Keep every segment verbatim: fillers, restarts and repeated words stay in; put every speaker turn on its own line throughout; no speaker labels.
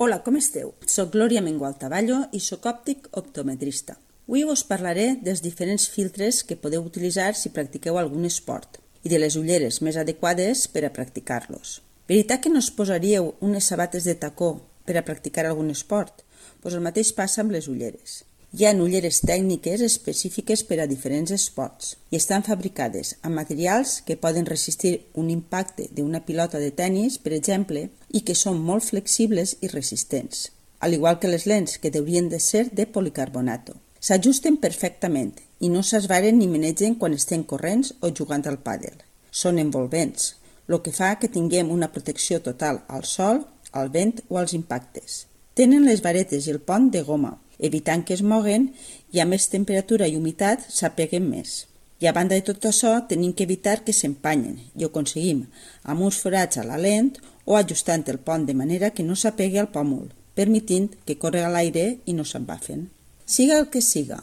Hola, com esteu? Soc Glòria Mengual-Taballo i soc òptic optometrista. Avui us parlaré dels diferents filtres que podeu utilitzar si practiqueu algun esport i de les ulleres més adequades per a practicar-los. Veritat que no us posaríeu unes sabates de tacó per a practicar algun esport? Doncs el mateix passa amb les ulleres. Hi ha ulleres tècniques específiques per a diferents esports i estan fabricades amb materials que poden resistir un impacte d'una pilota de tennis, per exemple, i que són molt flexibles i resistents, al igual que les lents, que haurien de ser de policarbonato. S'ajusten perfectament i no s'esvaren ni menegen quan estem corrents o jugant al pàdel. Són envolvents, el que fa que tinguem una protecció total al sol, al vent o als impactes. Tenen les varetes i el pont de goma, evitant que es moguen i a més temperatura i humitat s'apeguen més. I a banda de tot això tenim que evitar que s'empanyen i ho aconseguim amb uns forats a la lent o ajustant el pont de manera que no s'apegui al pòmul, permitint que corri a l'aire i no s'embafen. Siga el que siga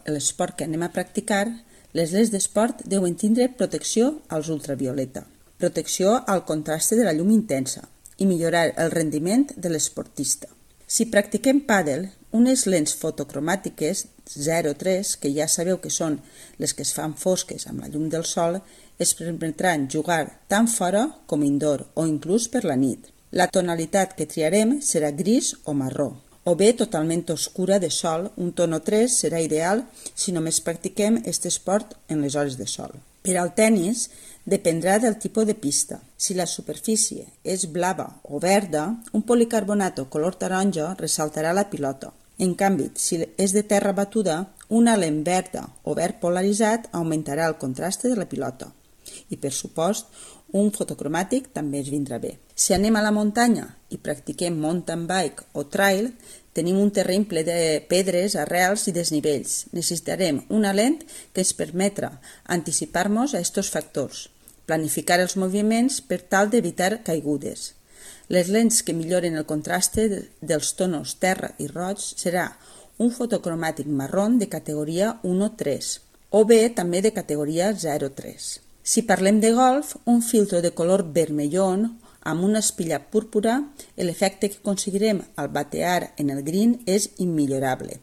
l'esport que anem a practicar, les lents d'esport deuen tindre protecció als ultravioleta, protecció al contraste de la llum intensa i millorar el rendiment de l'esportista. Si practiquem pàdel, unes lents fotocromàtiques zero tres, que ja sabeu que són les que es fan fosques amb la llum del sol, es permetran jugar tant fora com indoor o inclús per la nit. La tonalitat que triarem serà gris o marró, o bé totalment oscura de sol, un tono tres serà ideal si només practiquem aquest esport en les hores de sol. Per al tennis, dependrà del tipus de pista. Si la superfície és blava o verda, un policarbonato color taronja ressaltarà la pilota. En canvi, si és de terra batuda, una lent verda o verd polaritzat augmentarà el contraste de la pilota. I, per supost, un fotocromàtic també es vindrà bé. Si anem a la muntanya i practiquem mountain bike o trail, tenim un terreny ple de pedres, arrels i desnivells. Necessitarem una lent que ens permetra anticipar-nos a aquests factors, planificar els moviments per tal d'evitar caigudes. Les lents que milloren el contraste dels tonos terra i roig serà un fotocromàtic marrón de categoria un tres o bé també de categoria zero tres. Si parlem de golf, un filtro de color vermellón amb una espilla púrpura, l'efecte que aconseguirem al batear en el green és immillorable.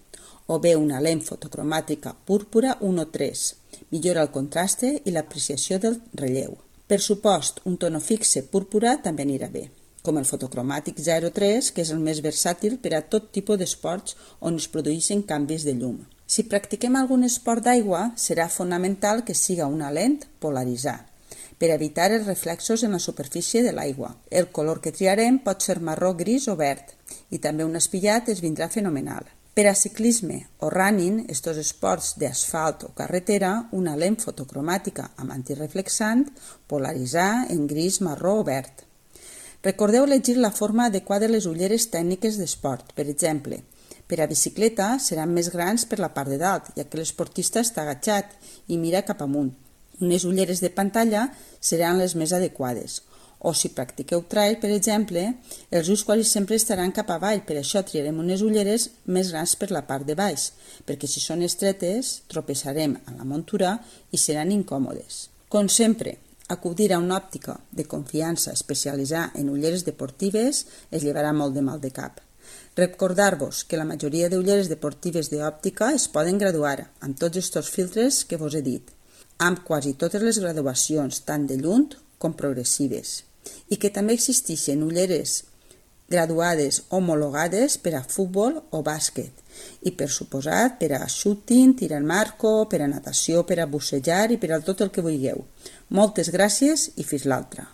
O bé una lent fotocromàtica púrpura un tres, millora el contraste i l'apreciació del relleu. Per supost, un tono fixe púrpura també anirà bé, com el fotocromàtic zero tres, que és el més versàtil per a tot tipus d'esports on es produeixen canvis de llum. Si practiquem algun esport d'aigua, serà fonamental que siga una lent polaritzada, per evitar els reflexos en la superfície de l'aigua. El color que triarem pot ser marró, gris o verd, i també un espillat es vindrà fenomenal. Per a ciclisme o running, estos esports d'asfalt o carretera, una lent fotocromàtica amb antireflexant, polaritzar en gris, marró o verd. Recordeu elegir la forma adequada de les ulleres tècniques d'esport. Per exemple, per a bicicleta seran més grans per la part de dalt, ja que l'esportista està agachat i mira cap amunt. Unes ulleres de pantalla seran les més adequades. O si practiqueu trail, per exemple, els ulls quasi sempre estaran cap avall, per això triarem unes ulleres més grans per la part de baix, perquè si són estretes, tropeçarem a la muntura i seran incòmodes. Com sempre, acudir a una òptica de confiança especialitzada en ulleres deportives es llevarà molt de mal de cap. Recordar-vos que la majoria d'ulleres deportives d'òptica es poden graduar amb tots aquests filtres que vos he dit, amb quasi totes les graduacions, tant de lluny com progressives, i que també existeixen ulleres graduades homologades per a futbol o bàsquet, i per suposat per a shooting, tir al marco, per a natació, per a bussejar i per a tot el que vulgueu. Moltes gràcies i fins l'altra.